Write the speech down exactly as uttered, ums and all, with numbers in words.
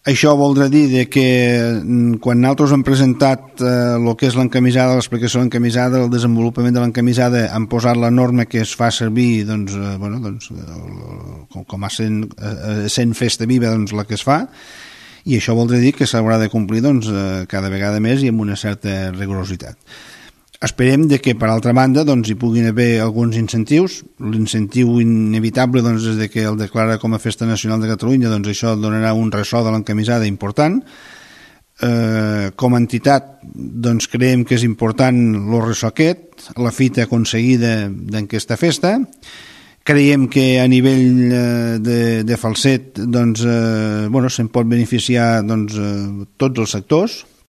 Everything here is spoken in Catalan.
Això voldrà dir de que quan nosaltres hem presentat el eh, que és l'encamisada, l'explicació de l'encamisada, el desenvolupament de l'encamisada, hem posat la norma que es fa servir doncs, eh, bueno, doncs, com, com a sent, eh, sent festa viva doncs, la que es fa, i això voldrà dir que s'haurà de complir doncs, eh, cada vegada més i amb una certa rigorositat. Esperem de que, per altra banda, doncs, hi puguin haver alguns incentius. L'incentiu inevitable doncs, és de que el declara com a Festa Nacional de Catalunya, doncs això donarà un ressò de l'encamisada important. Eh, com a entitat doncs, creiem que és important el ressò aquest, la fita aconseguida d'aquesta festa. Creiem que a nivell de, de Falset doncs, eh, bueno, se'n pot beneficiar doncs, eh, tots els sectors.